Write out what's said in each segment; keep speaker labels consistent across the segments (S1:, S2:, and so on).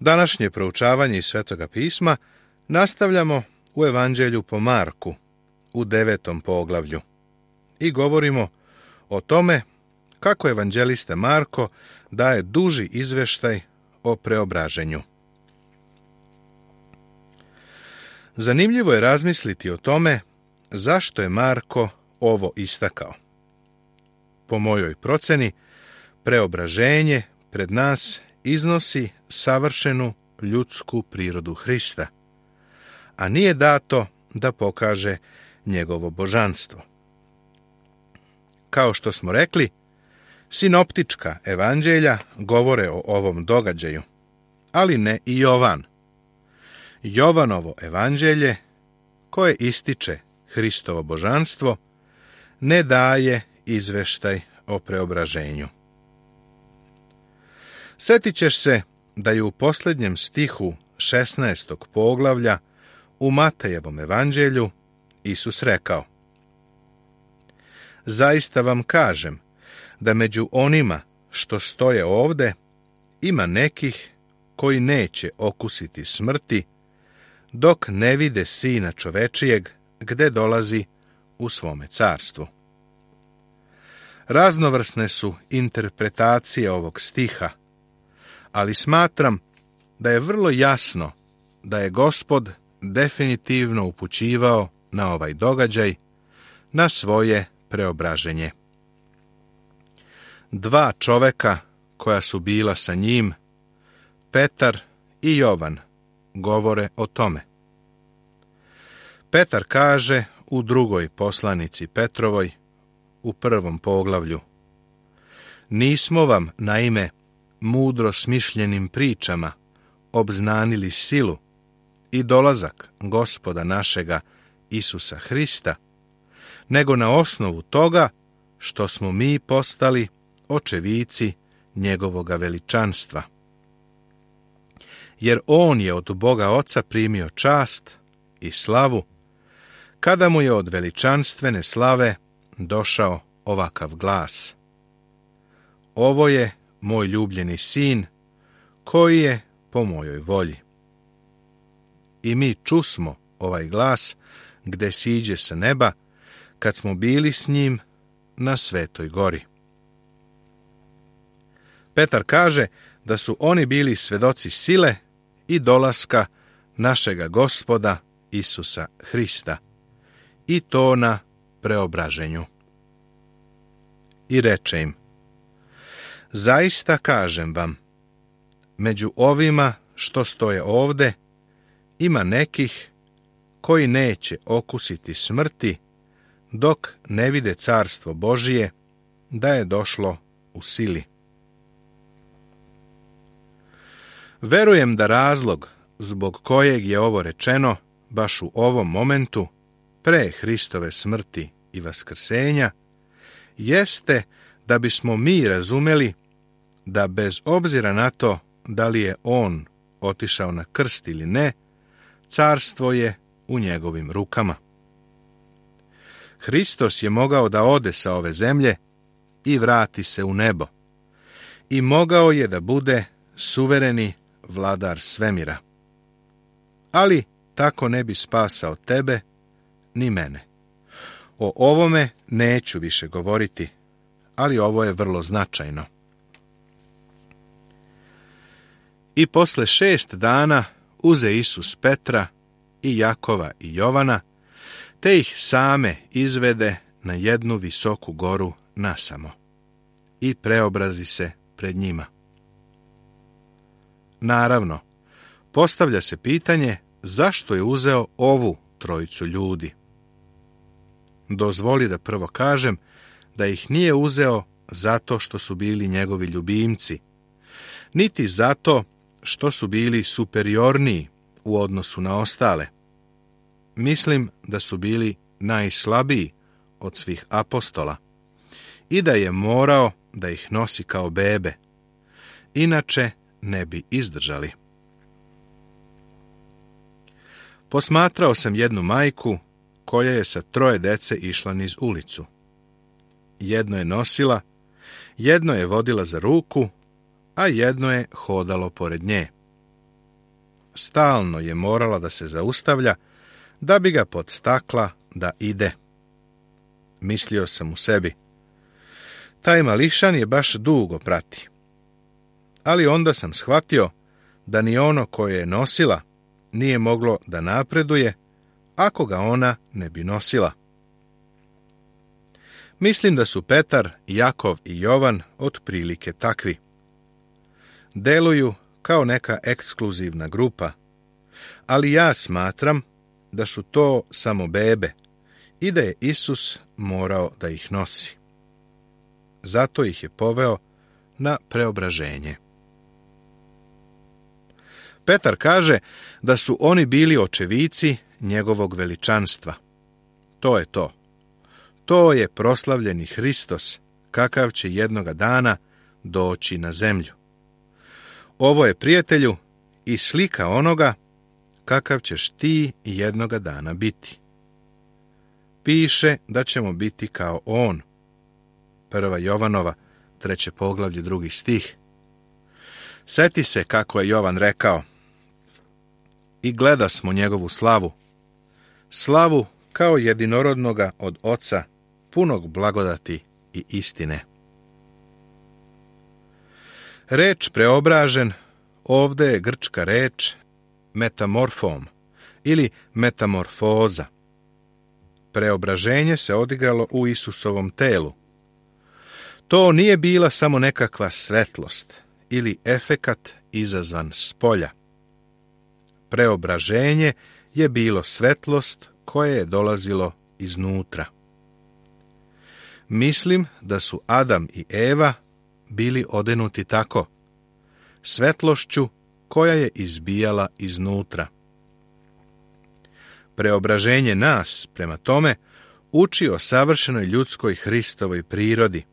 S1: Današnje proučavanje iz Svetoga pisma nastavljamo u Evanđelju po Marku u 9. poglavlju i govorimo o tome kako evanđelista Marko daje duži izveštaj o preobraženju. Zanimljivo je razmisliti o tome zašto je Marko ovo istakao. Po mojoj proceni, preobraženje pred nas iznosi savršenu ljudsku prirodu Hrista, a nije dato da pokaže njegovo božanstvo. Kao što smo rekli, sinoptička evanđelja govore o ovom događaju, ali ne i Jovan. Jovanovo evanđelje, koje ističe Hristovo božanstvo, ne daje izveštaj o preobraženju. Sjetit ćeš se da je u posljednjem stihu 16. poglavlja u Matejevom evanđelju Isus rekao: Zaista vam kažem da među onima što stoje ovde ima nekih koji neće okusiti smrti dok ne vide Sina čovečijeg gde dolazi u svome carstvu. Raznovrsne su interpretacije ovog stiha, ali smatram da je vrlo jasno da je Gospod definitivno upućivao na ovaj događaj, na svoje preobraženje. Dva čoveka koja su bila sa njim, Petar i Jovan, govore o tome. Petar kaže u drugoj poslanici Petrovoj, u 1. poglavlju: Nismo vam, naime, mudro smišljenim pričama obznanili silu i dolazak Gospoda našega Isusa Hrista, nego na osnovu toga što smo mi postali očevici njegovoga veličanstva. Jer on je od Boga Oca primio čast i slavu, kada mu je od veličanstvene slave došao ovakav glas: Ovo je moj ljubljeni sin, koji je po mojoj volji. I mi čusmo ovaj glas gde siđe sa neba, kad smo bili s njim na Svetoj gori. Petar kaže da su oni bili svedoci sile i dolaska našega Gospoda Isusa Hrista, i to na preobraženju. I reče im: Zaista kažem vam, među ovima što stoje ovde ima nekih koji neće okusiti smrti dok ne vide carstvo Božije da je došlo u sili. Verujem da razlog zbog kojeg je ovo rečeno baš u ovom momentu, pre Hristove smrti i vaskrsenja, jeste da bismo mi razumeli da bez obzira na to da li je on otišao na krst ili ne, carstvo je u njegovim rukama. Hristos je mogao da ode sa ove zemlje i vrati se u nebo, i mogao je da bude suvereni vladar svemira. Ali tako ne bi spasao tebe ni mene. O ovome neću više govoriti, ali ovo je vrlo značajno. I posle 6 dana uze Isus Petra i Jakova i Jovana, te ih same izvede na jednu visoku goru nasamo i preobrazi se pred njima. Naravno, postavlja se pitanje zašto je uzeo ovu trojicu ljudi. Dozvoli da prvo kažem da ih nije uzeo zato što su bili njegovi ljubimci, niti zato što su bili superiorniji u odnosu na ostale. Mislim da su bili najslabiji od svih apostola i da je morao da ih nosi kao bebe, inače ne bi izdržali. Posmatrao sam jednu majku koja je sa 3 dece išla niz ulicu. Jedno je nosila, jedno je vodila za ruku, a jedno je hodalo pored nje. stalno je morala da se zaustavlja, da bi ga podstakla da ide. Mislio sam u sebi, taj mališan je baš dugo prati. Ali onda sam shvatio da ni ono koje je nosila nije moglo da napreduje ako ga ona ne bi nosila. Mislim da su Petar, Jakov i Jovan otprilike takvi. Deluju kao neka ekskluzivna grupa, ali ja smatram da su to samo bebe i da je Isus morao da ih nosi. Zato ih je poveo na preobraženje. Petar kaže da su oni bili očevici njegovog veličanstva. To je to. To je proslavljeni Hristos, kakav će jednoga dana doći na zemlju. Ovo je, prijatelju, i slika onoga kakav ćeš ti jednoga dana biti. Piše da ćemo biti kao on. 1. Jovanova, 3. poglavlje, 2. stih. Seti se kako je Jovan rekao: i gleda smo njegovu slavu, slavu kao jedinorodnoga od Oca, punog blagodati i istine. Reč preobražen ovde je grčka reč metamorfom ili metamorfoza. Preobraženje se odigralo u Isusovom telu. To nije bila samo nekakva svetlost ili efekat izazvan spolja. Preobraženje je bilo svetlost koje je dolazilo iznutra. Mislim da su Adam i Eva bili odenuti tako, svetlošću koja je izbijala iznutra. Preobraženje nas, prema tome, uči o savršenoj ljudskoj Hristovoj prirodi,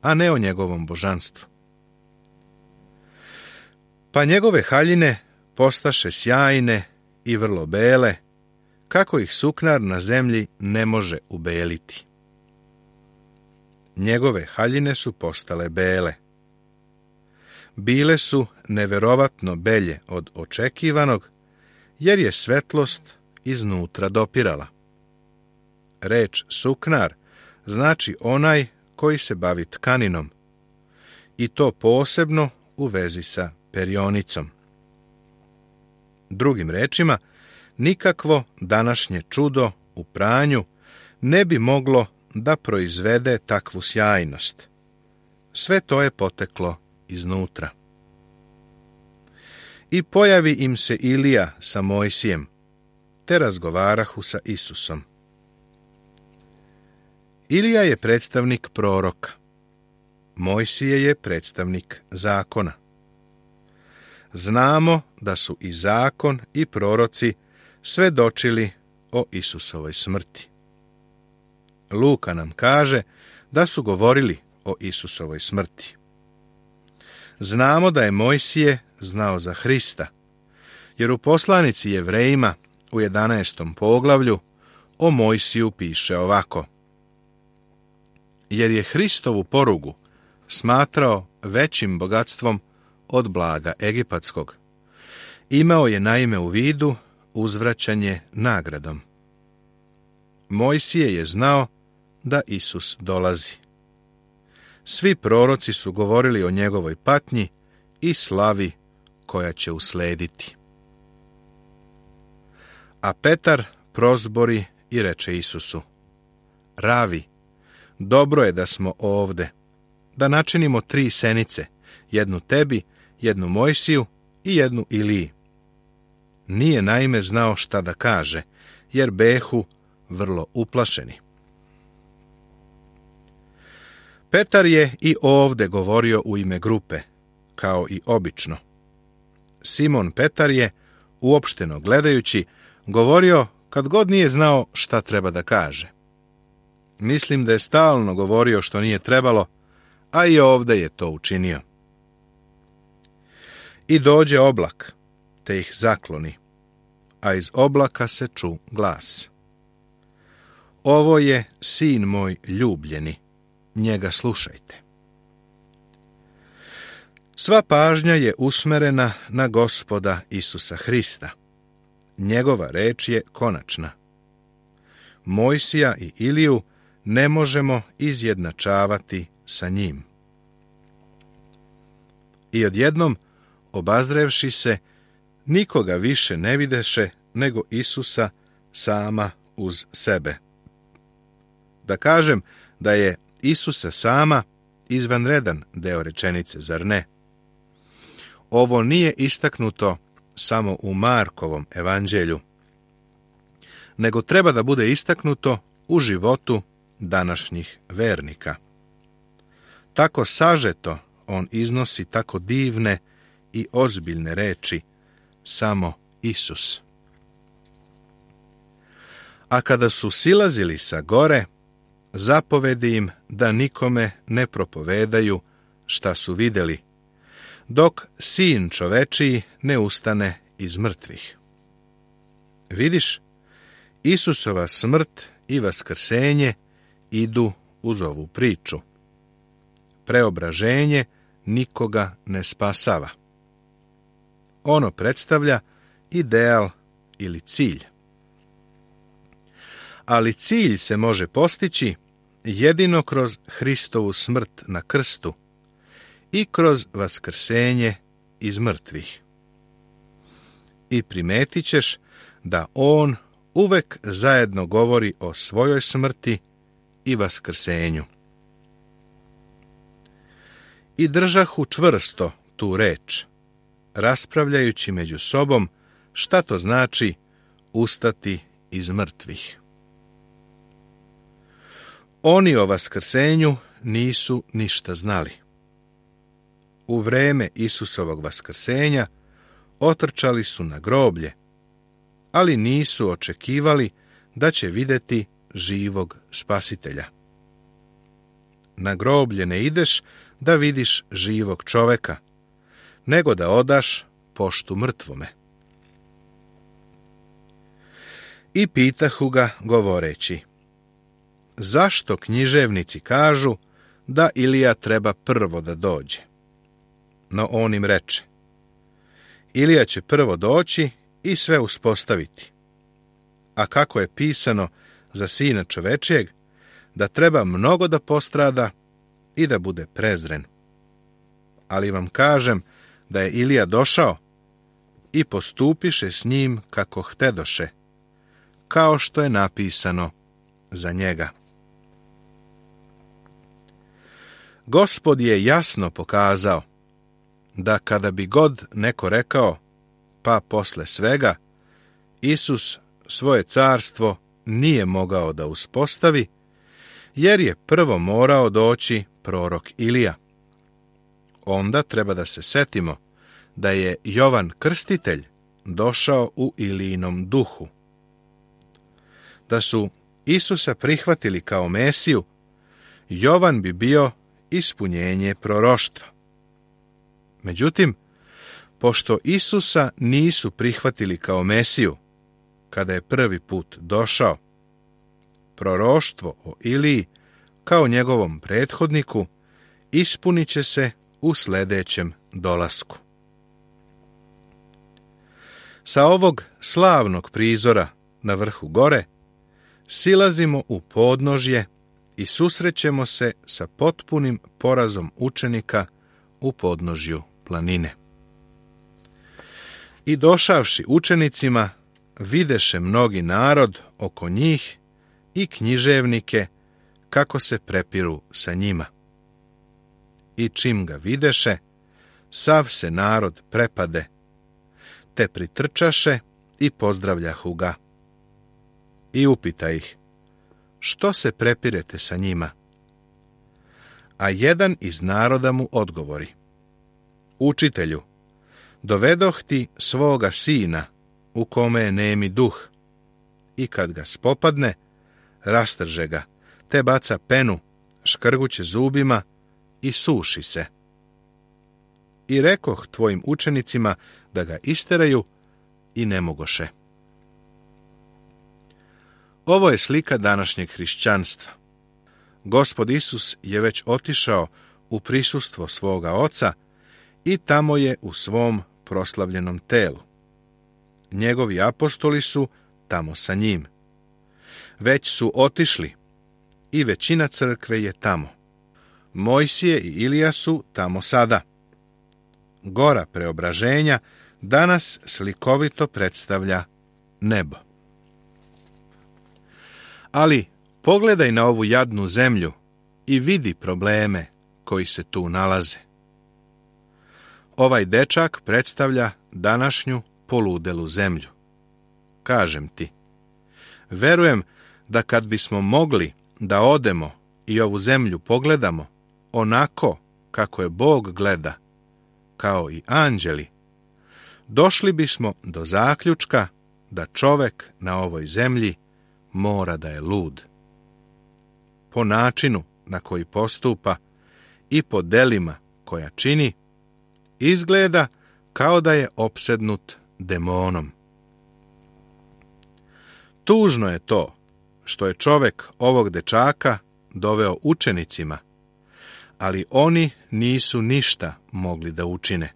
S1: a ne o njegovom božanstvu. Pa njegove haljine postaše sjajne i vrlo bele, kako ih suknar na zemlji ne može ubeliti. Njegove haljine su postale bele. Bile su neverovatno belje od očekivanog, jer je svetlost iznutra dopirala. Reč suknar znači onaj koji se bavi tkaninom, i to posebno u vezi sa perionicom. Drugim rečima, nikakvo današnje čudo u pranju ne bi moglo da proizvede takvu sjajnost. Sve to je poteklo iznutra. I pojavi im se Ilija sa Mojsijem, te razgovarahu sa Isusom. Ilija je predstavnik proroka. Mojsije je predstavnik zakona. Znamo da su i zakon i proroci svedočili o Isusovoj smrti. Luka nam kaže da su govorili o Isusovoj smrti. Znamo da je Mojsije znao za Hrista, jer u poslanici Jevrejima u 11. poglavlju o Mojsiju piše ovako: jer je Hristovu porugu smatrao većim bogatstvom od blaga egipatskog. Imao je naime u vidu uzvraćanje nagradom. Mojsije je znao da Isus dolazi. Svi proroci su govorili o njegovoj patnji i slavi koja će uslediti. A Petar prozbori i reče Isusu: Ravi, dobro je da smo ovde, da načinimo 3 senice, jednu tebi, jednu Mojsiju i jednu Iliji. Nije naime znao šta da kaže, jer behu vrlo uplašeni. Petar je i ovde govorio u ime grupe, kao i obično. Simon Petar je, uopšteno gledajući, govorio kad god nije znao šta treba da kaže. Mislim da je stalno govorio što nije trebalo, a i ovde je to učinio. I dođe oblak, te ih zakloni, a iz oblaka se ču glas: Ovo je sin moj ljubljeni, njega slušajte. Sva pažnja je usmerena na Gospoda Isusa Hrista. Njegova reč je konačna. Mojsija i Iliju ne možemo izjednačavati sa njim. I odjednom, obazrevši se, nikoga više ne videše nego Isusa sama uz sebe. Da kažem da je Isusa sama izvanredan deo rečenice, zar ne? Ovo nije istaknuto samo u Markovom evanđelju, nego treba da bude istaknuto u životu današnjih vernika. Tako sažeto on iznosi tako divne i ozbiljne reči, samo Isus. A kada su silazili sa gore, zapovedi im da nikome ne propovedaju šta su vidjeli, dok sin čovečiji ne ustane iz mrtvih. Vidiš, Isusova smrt i vaskrsenje idu uz ovu priču. Preobraženje nikoga ne spasava. Ono predstavlja ideal ili cilj. Ali cilj se može postići jedino kroz Hristovu smrt na krstu i kroz vaskrsenje iz mrtvih. I primetit ćeš da on uvek zajedno govori o svojoj smrti i vaskrsenju. I držahu čvrsto tu reč, raspravljajući među sobom šta to znači ustati iz mrtvih. Oni o vaskrsenju nisu ništa znali. U vreme Isusovog vaskrsenja otrčali su na groblje, ali nisu očekivali da će vidjeti živog spasitelja. Na groblje ne ideš da vidiš živog čoveka, nego da odaš poštu mrtvome. I pitahu ga govoreći, zašto književnici kažu da Ilija treba prvo da dođe? No on im reče, Ilija će prvo doći i sve uspostaviti. A kako je pisano za sina čovečijeg, da treba mnogo da postrada i da bude prezren. Ali vam kažem da je Ilija došao i postupiše s njim kako htedoše, kao što je napisano za njega. Gospod je jasno pokazao da kada bi god neko rekao, pa posle svega, Isus svoje carstvo nije mogao da uspostavi, jer je prvo morao doći prorok Ilija. Onda treba da se setimo da je Jovan Krstitelj došao u Ilijinom duhu. Da su Isusa prihvatili kao Mesiju, Jovan bi bio ispunjenje proroštva. Međutim, pošto Isusa nisu prihvatili kao Mesiju, kada je prvi put došao, proroštvo o Iliji kao njegovom prethodniku ispunit će se u sljedećem dolasku. Sa ovog slavnog prizora na vrhu gore silazimo u podnožje i susrećemo se sa potpunim porazom učenika u podnožju planine. I došavši učenicima, videše mnogi narod oko njih i književnike kako se prepiru sa njima. I čim ga videše, sav se narod prepade, te pritrčaše i pozdravljahu ga. I upita ih, što se prepirete sa njima? A jedan iz naroda mu odgovori, učitelju, dovedoh ti svoga sina, u kome je nemi duh, i kad ga spopadne, rastrže ga, te baca penu, škrguće zubima i suši se. I rekoh tvojim učenicima da ga isteraju i ne mogoše. Ovo je slika današnjeg hrišćanstva. Gospod Isus je već otišao u prisustvo svoga Oca i tamo je u svom proslavljenom telu. Njegovi apostoli su tamo sa njim. Već su otišli i većina crkve je tamo. Mojsije i Ilija su tamo sada. Gora preobraženja danas slikovito predstavlja nebo. Ali pogledaj na ovu jadnu zemlju i vidi probleme koji se tu nalaze. Ovaj dečak predstavlja današnju poludelu zemlju. Kažem ti, verujem da kad bismo mogli da odemo i ovu zemlju pogledamo onako kako je Bog gleda, kao i anđeli, došli bismo do zaključka da čovek na ovoj zemlji mora da je lud. Po načinu na koji postupa i po delima koja čini, izgleda kao da je opsednut demonom. Tužno je to što je čovek ovog dečaka doveo učenicima, ali oni nisu ništa mogli da učine.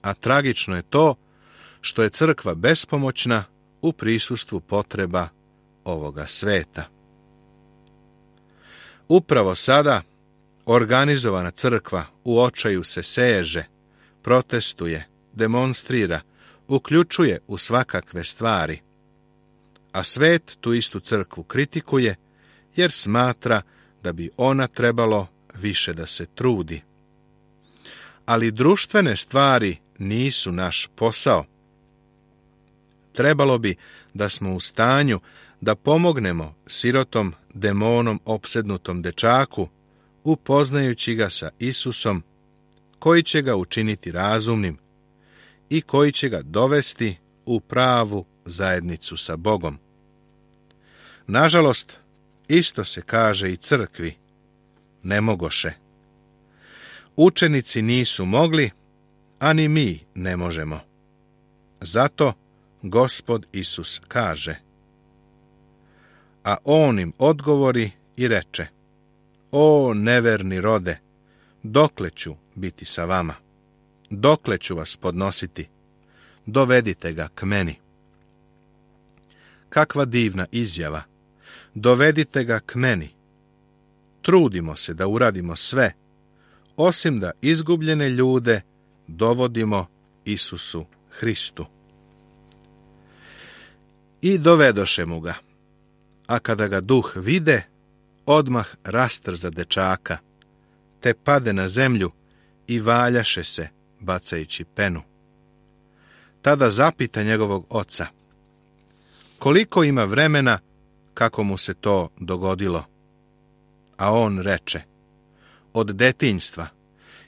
S1: A tragično je to što je crkva bespomoćna u prisustvu potreba ovoga sveta. Upravo sada organizovana crkva u očaju se seže, protestuje, demonstrira, uključuje u svakakve stvari, a svet tu istu crkvu kritikuje jer smatra da bi ona trebalo više da se trudi. Ali društvene stvari nisu naš posao. Trebalo bi da smo u stanju da pomognemo sirotom, demonom opsednutom dečaku, upoznajući ga sa Isusom, koji će ga učiniti razumnim i koji će ga dovesti u pravu zajednicu sa Bogom. Nažalost, isto se kaže i crkvi, ne mogoše. Učenici nisu mogli, a ni mi ne možemo. Zato Gospod Isus kaže: a on im odgovori i reče: o neverni rode, dokle ću biti sa vama? Dokle ću vas podnositi? Dovedite ga k meni. Kakva divna izjava! Dovedite ga k meni. Trudimo se da uradimo sve, osim da izgubljene ljude dovodimo Isusu Hristu. I dovedoše mu ga, a kada ga duh vide, odmah rastrza dečaka, te pade na zemlju i valjaše se, bacajući penu. Tada zapita njegovog oca: koliko ima vremena kako mu se to dogodilo? A on reče: od detinjstva,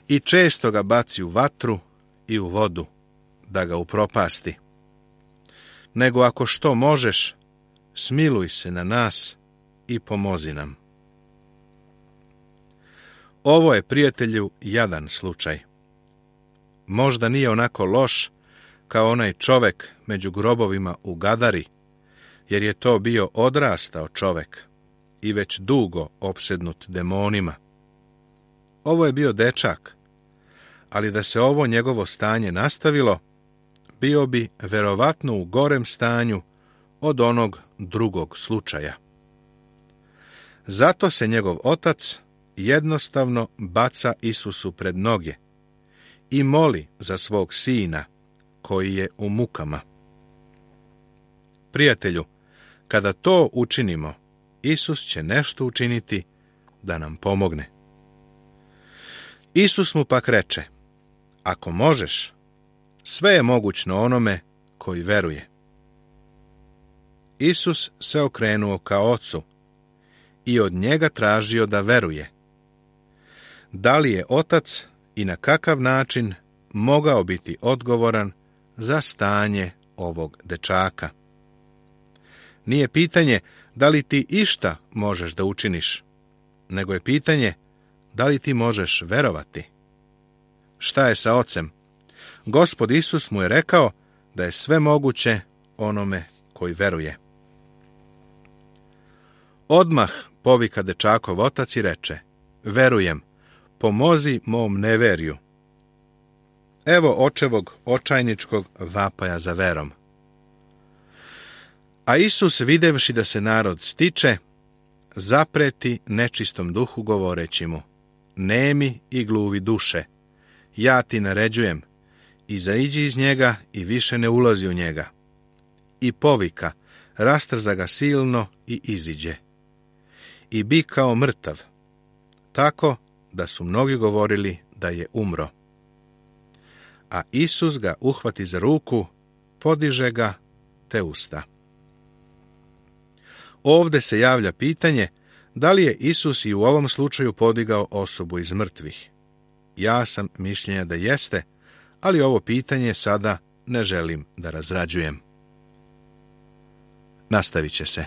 S1: i često ga baci u vatru i u vodu, da ga upropasti. Nego ako što možeš, smiluj se na nas i pomozi nam. Ovo je, prijatelju, jadan slučaj. Možda nije onako loš kao onaj čovek među grobovima u Gadari, jer je to bio odrastao čovek i već dugo opsednut demonima. Ovo je bio dečak, ali da se ovo njegovo stanje nastavilo, bio bi verovatno u gorem stanju od onog drugog slučaja. Zato se njegov otac jednostavno baca Isusu pred noge i moli za svog sina koji je u mukama. Prijatelju, kada to učinimo, Isus će nešto učiniti da nam pomogne. Isus mu pak reče: ako možeš, sve je mogućno onome koji veruje. Isus se okrenuo ka ocu i od njega tražio da veruje. Da li je otac i na kakav način mogao biti odgovoran za stanje ovog dečaka? Nije pitanje da li ti išta možeš da učiniš, nego je pitanje da li ti možeš verovati. Šta je sa ocem? Gospod Isus mu je rekao da je sve moguće onome koji veruje. Odmah povika dečakov otac i reče: verujem, pomozi mom neverju. Evo očevog očajničkog vapaja za verom. A Isus, videvši da se narod stiče, zapreti nečistom duhu govoreći mu: nemi i gluvi duše, ja ti naređujem, izaiđi iz njega i više ne ulazi u njega. I povika, rastrza ga silno i iziđe. I bi kao mrtav, tako da su mnogi govorili da je umro. A Isus ga uhvati za ruku, podiže ga, te usta. Ovde se javlja pitanje da li je Isus i u ovom slučaju podigao osobu iz mrtvih. Ja sam mišljenja da jeste, ali ovo pitanje sada ne želim da razrađujem. Nastavit će se.